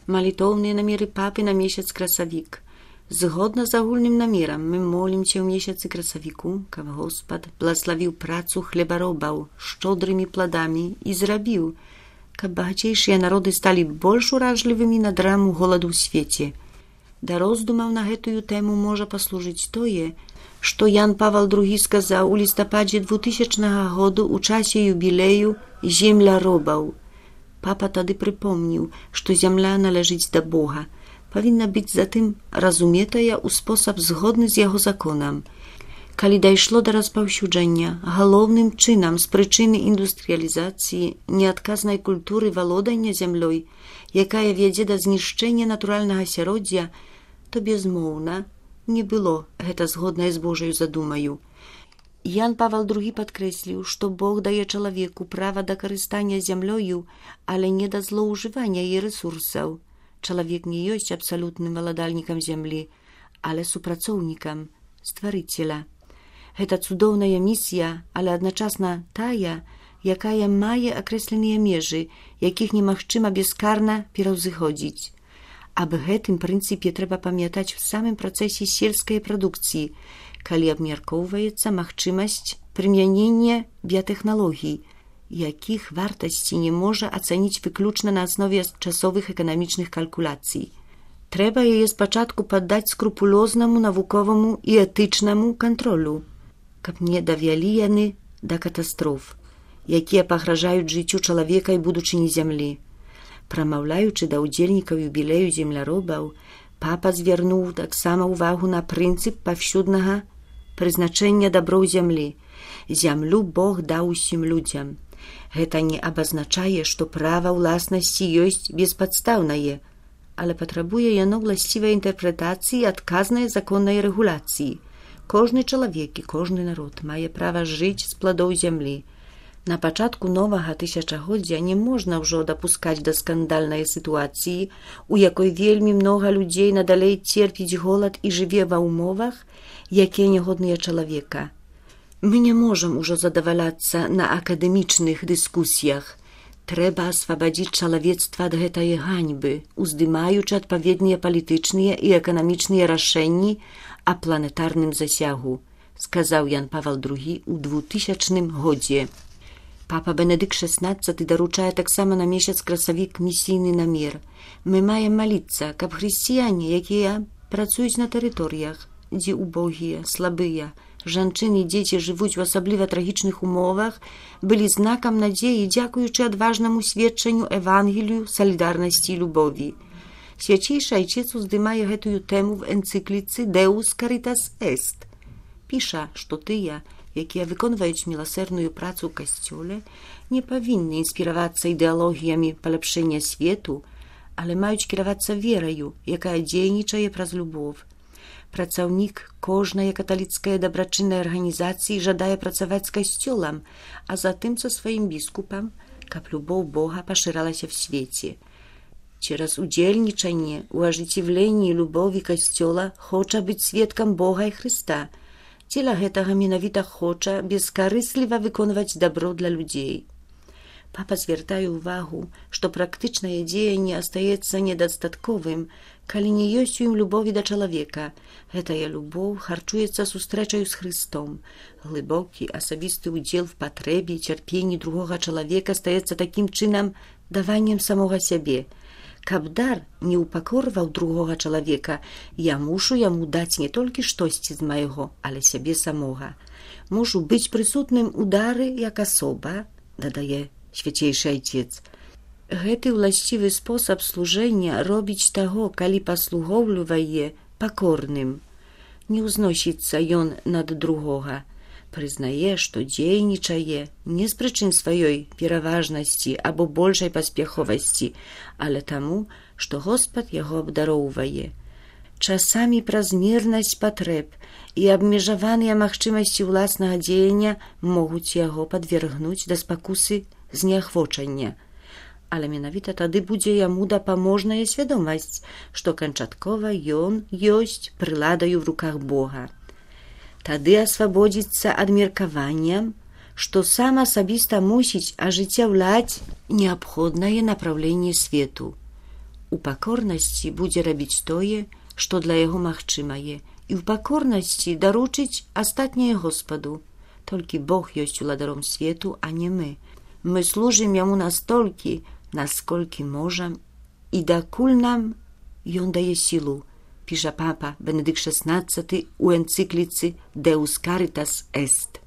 Молитовные намеры папы на месяц красавік. Згодна з агульным намерам мы молімся ў месяцы красавіку, каб Господ благословіў працу хлебаробаў шчодрымі пладамі і зрабіў, каб багацейшыя народы сталі больш уражлівымі на драму голаду ў свеце. Да роздумаў на гэтую тэму можа паслужыць тое, што Ян Павел II сказаў у лістападзе 2000 году ў часе юбілею земляробаў. Папа тады прыпомніў, што зямля належыць да Бога, павінна быць затым разуметая ў спосаб згодны з яго законам. Калі дайшло да распаўсюджання галоўным чынам з прычыны індустрыялізацыі неадказнай культуры валодання зямлёй, якая вядзе да знішчэння натуральнага асяроддзя, то безмоўна не было гэта згоднае з Божаю задумаю. Ян Павел II падкрэсліў, што Бог дае чалавеку права да карыстання зямлёю, але не да злоўжывання яе рэсурсаў. Чалавек не ёсць абсалютным валадальнікам зямлі, але супрацоўнікам стварыцеля. Гэта цудоўная місія, але адначасна тая, якая мае акрэсленыя межы, якіх немагчыма бескарна пераўзыходзіць. Аб гэтым прынцыпе трэба памятаць у самым працэсе сельскай прадукцыі, калі абмяркоўваецца магчымасць прымянення біятэхналогій, якіх вартасці не можа ацаніць выключна на аснове часовых эканамічных калькуляцый. Трэба яе спачатку паддаць скрупулёзнаму навуковаму і этычнаму кантролю, каб не давялі яны да катастроф, якія пагражаюць жыццю чалавека і будучыні зямлі. Прамаўляючы да ўдзельнікаў юбілею земляробаў, папа звярнуў таксама ўвагу на прынцып паўсюднага прызначэння даброў зямлі. Зямлю Бог даў усім людзям. Гэта не абазначае, што права ўласнасці ёсць беспадстаўнае, але патрабуе яно ўласцівай інтэрпрэтацыі і адказнай законнай рэгуляцыі. Кожны чалавек і кожны народ мае права жыць з пладоў зямлі. На пачатку новага тысячагоддзя не можна ўжо дапускаць да скандальнай сітуацыі, у якой вельмі многа людзей надалей церпіць голад і жыве ва ўмовах, якія нягодныя чалавека. Мы не можам ужо задаваляцца на акадэмічных дыскусіях. Трэба асвабадзіць чалавецтва ад гэтай ганьбы, уздымаючы адпаведныя палітычныя і эканамічныя рашэнні о планетарным засягу, сказаў Ян Павел II у 2000 годзе. Папа Бенедыкт XVI даручае таксама на месяц красавік місійны намер. Мы маем маліцца, каб хрысціяне, якія працуюць на тэрыторыях, дзе убогія, слабыя, жанчыны і дзеці жывуць у асабліва трагічных умовах, былі знакам надзеі, дзякуючы адважнаму сведчанню Евангелію, салідарнасці і любові. Свячейшы айчец уздымае гэтую тэму в энцыкліцы «Deus Caritas Est». Піша, што тыя, якія выконваюць міласэрную працу ў касцёле, не павінны інспіравацца ідэалогіямі паляпшэння свету, але маюць кіравацца вераю, якая дзейнічае праз любов. Працаўнік кожнай каталіцкай дабрачыннай арганізацыі жадае працаваць з касцёлам, а затым са сваім біскупам, каб любоў Бога пашыралася в свеце. Через удзельнічанне ў ажыццяўленні любові касцёла хоча быць сведкам Бога і Хрыста. Дзеля гэтага менавіта хоча бескарысліва выконваць дабро для людзей. Папа звяртае ўвагу, што практычнае дзеянне астаецца недастатковым, калі не ёсць у ім любові да чалавека. Гэтая любоў харчуецца сустрэчаю з Хрыстом. Глыбокі асабісты ўдзел в патрэбе, цярпенні другога чалавека стаецца такім чынам даваннем самога сябе. Каб дар не ўпакорваў другога чалавека, я мушу яму даць не толькі штосьці з майго, але сябе самога. Мушу быць прысутным у дары як асоба, дадае свяцейшы айцец. Гэты ўласцівы спосаб служэння робіць таго, калі паслугоўлівае пакорным. Не ўзносіцца ён над другога. Прызнае, што дзейнічае не з прычын сваёй пераважнасці або большай паспяховасці, але таму, што Господ яго абдароўвае. Часамі празмернасць патрэб і абмежаваныя магчымасці ўласнага дзеяння могуць яго падвергнуць да спакусы зняхвочання. Але менавіта тады будзе яму дапаможная свядомасць, што канчаткова ён ёсць прыладаю в руках Бога. Тады асвабодзіцца ад меркавання, што сам асабіста мусіць ажыццяўляць неабходнае напраўленне свету. У пакорнасці будзе рабіць тое, што для яго магчымае, і ў пакорнасці даручыць астатняе Господу. Толькі Бог ёсць уладаром свету, а не мы. Мы служым яму настолькі, насколькі можам, і дакуль нам ён дае сілу, піша папа Бенедыкт XVI у энцыкліцы Deus Caritas Est.